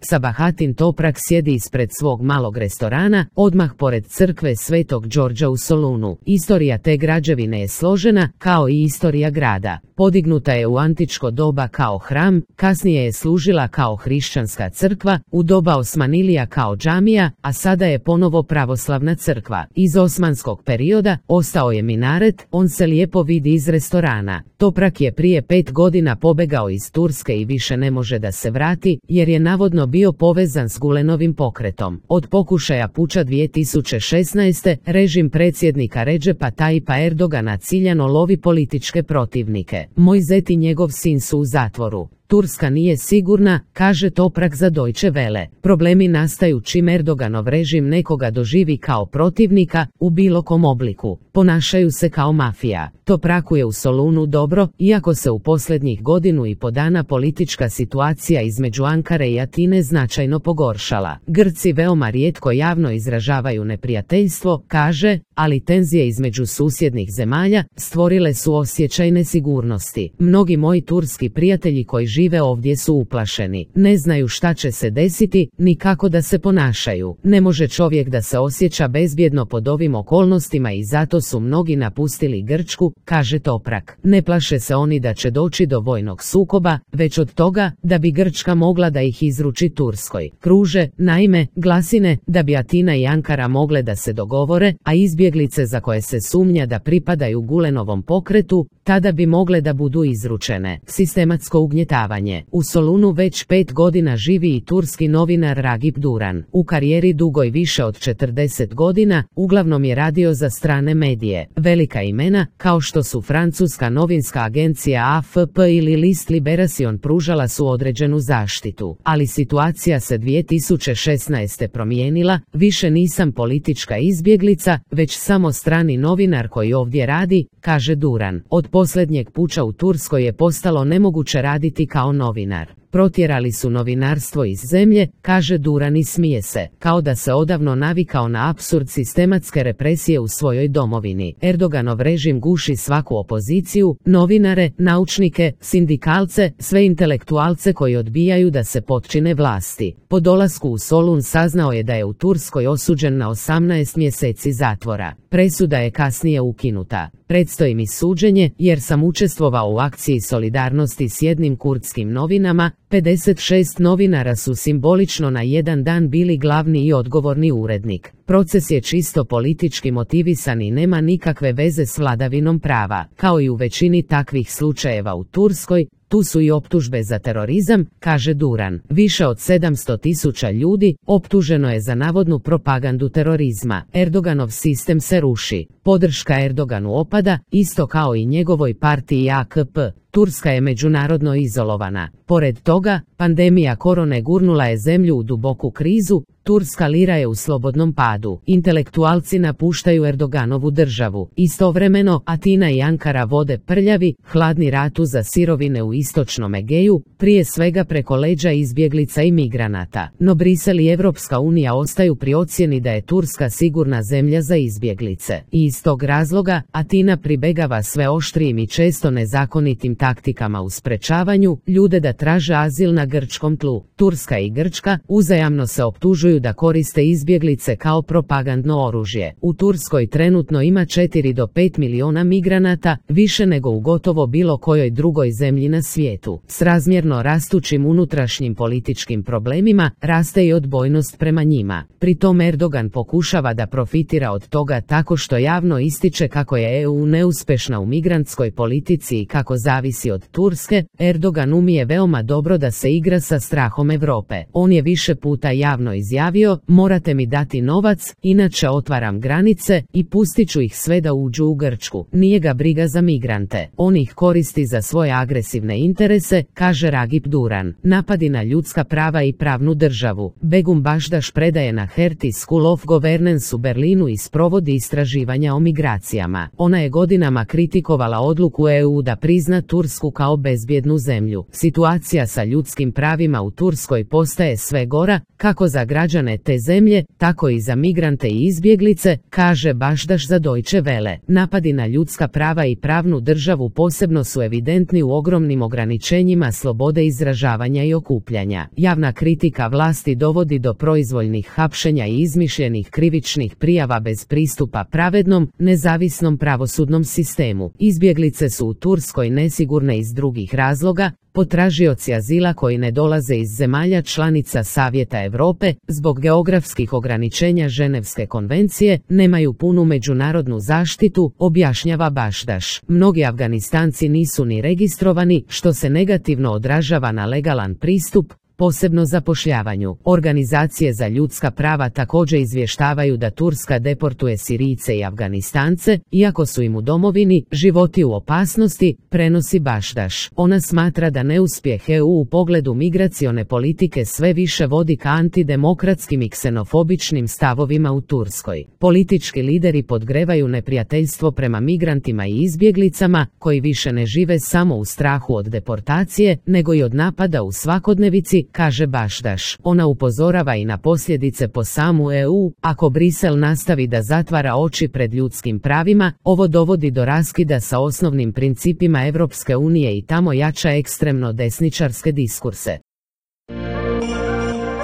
Sabahatin Toprak sjedi ispred svog malog restorana, odmah pored crkve Svetog Đorđa u Solunu. Istorija te građevine je složena, kao i istorija grada. Podignuta je u antičko doba kao hram, kasnije je služila kao hrišćanska crkva, u doba Osmanilija kao džamija, a sada je ponovo pravoslavna crkva. Iz osmanskog perioda ostao je minaret, on se lijepo vidi iz restorana. Toprak je prije 5 godina pobegao iz Turske i više ne može da se vrati, jer je navodno bio povezan s Gulenovim pokretom. Od pokušaja puča 2016. režim predsjednika Redžepa Tayyipa Erdogana ciljano lovi političke protivnike. Moj zet i njegov sin su u zatvoru. Turska nije sigurna, kaže Toprak za Deutsche Welle. Problemi nastaju čim Erdoganov režim nekoga doživi kao protivnika, u bilo kom obliku. Ponašaju se kao mafija. Topraku je u Solunu dobro, iako se u posljednjih godinu i po dana politička situacija između Ankare i Atine značajno pogoršala. Grci veoma rijetko javno izražavaju neprijateljstvo, kaže, ali tenzije između susjednih zemalja stvorile su osjećaj nesigurnosti. Mnogi moji turski prijatelji koji žive ovdje su uplašeni. Ne znaju šta će se desiti, ni kako da se ponašaju. Ne može čovjek da se osjeća bezbjedno pod ovim okolnostima i zato su mnogi napustili Grčku, kaže Toprak. Ne plaše se oni da će doći do vojnog sukoba, već od toga da bi Grčka mogla da ih izruči Turskoj. Kruže, naime, glasine da bi Atina i Ankara mogle da se dogovore, a izbjeglice za koje se sumnja da pripadaju Gulenovom pokretu, tada bi mogle da budu izručene. Sistematsko ugnjetavanje. U Solunu već 5 godina živi i turski novinar Ragip Duran. U karijeri dugoj više od 40 godina, uglavnom je radio za strane medije. Velika imena, kao što su francuska novinska agencija AFP ili List Liberation, pružala su određenu zaštitu. Ali situacija se 2016. promijenila, više nisam politička izbjeglica, već samo strani novinar koji ovdje radi, kaže Duran. Od posljednjeg puča u Turskoj je postalo nemoguće raditi kao novinar. Protjerali su novinarstvo iz zemlje, kaže Duran i smije se, kao da se odavno navikao na apsurd sistematske represije u svojoj domovini. Erdoganov režim guši svaku opoziciju, novinare, naučnike, sindikalce, sve intelektualce koji odbijaju da se potčine vlasti. Po dolasku u Solun saznao je da je u Turskoj osuđen na 18 mjeseci zatvora. Presuda je kasnije ukinuta. Predstoji mi suđenje, jer sam učestvovao u akciji solidarnosti s jednim kurdskim novinama. 56 novinara su simbolično na jedan dan bili glavni i odgovorni urednik. Proces je čisto politički motivisan i nema nikakve veze s vladavinom prava. Kao i u većini takvih slučajeva u Turskoj, tu su i optužbe za terorizam, kaže Duran. Više od 700.000 ljudi optuženo je za navodnu propagandu terorizma. Erdoganov sistem se ruši. Podrška Erdoganu opada, isto kao i njegovoj partiji AKP. Turska je međunarodno izolovana. Pored toga, pandemija korone gurnula je zemlju u duboku krizu, turska lira je u slobodnom padu. Intelektualci napuštaju Erdoganovu državu. Istovremeno, Atina i Ankara vode prljavi, hladni rat za sirovine u istočnom Egeju, prije svega preko leđa izbjeglica i migranata. No Brisel i Evropska unija ostaju pri ocjeni da je Turska sigurna zemlja za izbjeglice. I iz tog razloga, Atina pribegava sve oštrijim i često nezakonitim taktikama u sprečavanju ljude da traže azil na grčkom tlu. Turska i Grčka uzajamno se optužuju da koriste izbjeglice kao propagandno oružje. U Turskoj trenutno ima 4 do 5 miliona migranata, više nego u gotovo bilo kojoj drugoj zemlji na svijetu. S razmjerno rastućim unutrašnjim političkim problemima, raste i odbojnost prema njima. Pri tom Erdogan pokušava da profitira od toga tako što javno ističe kako je EU neuspješna u migrantskoj politici i kako zavisi od Turske. Erdogan umije veoma dobro da se igra sa strahom Europe. On je više puta javno izjavio: morate mi dati novac, inače otvaram granice i pustit ću ih sve da uđu u Grčku. Nije ga briga za migrante. On ih koristi za svoje agresivne interese, kaže Ragip Duran. Napadi na ljudska prava i pravnu državu. Begum Bašdaš predaje na Hertie School of Governance u Berlinu i sprovodi istraživanja o migracijama. Ona je godinama kritikovala odluku EU da prizna Tursku kao bezbjednu zemlju. Situacija sa ljudskim pravima u Turskoj postaje sve gora, kako za građane građane te zemlje, tako i za migrante i izbjeglice, kaže Bašdaš za Deutsche Welle. Napadi na ljudska prava i pravnu državu posebno su evidentni u ogromnim ograničenjima slobode izražavanja i okupljanja. Javna kritika vlasti dovodi do proizvoljnih hapšenja i izmišljenih krivičnih prijava bez pristupa pravednom, nezavisnom pravosudnom sistemu. Izbjeglice su u Turskoj nesigurne iz drugih razloga, potražioci azila koji ne dolaze iz zemalja članica Savjeta Europe, zbog geografskih ograničenja Ženevske konvencije, nemaju punu međunarodnu zaštitu, objašnjava Bašdaš. Mnogi Afganistanci nisu ni registrovani, što se negativno odražava na legalan pristup, posebno zapošljavanju. Organizacije za ljudska prava također izvještavaju da Turska deportuje Sirijce i Afganistance, iako su im u domovini životi u opasnosti, prenosi Bašdaš. Ona smatra da neuspjeh EU u pogledu migracione politike sve više vodi ka antidemokratskim i ksenofobičnim stavovima u Turskoj. Politički lideri podgrevaju neprijateljstvo prema migrantima i izbjeglicama, koji više ne žive samo u strahu od deportacije, nego i od napada u svakodnevici, kaže Bašdaš. Ona upozorava i na posljedice po samu EU, ako Brisel nastavi da zatvara oči pred ljudskim pravima, ovo dovodi do raskida sa osnovnim principima Europske unije i tamo jača ekstremno desničarske diskurse.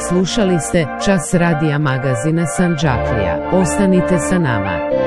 Slušali ste Čas radija magazina Sandžaklija. Ostanite sa nama.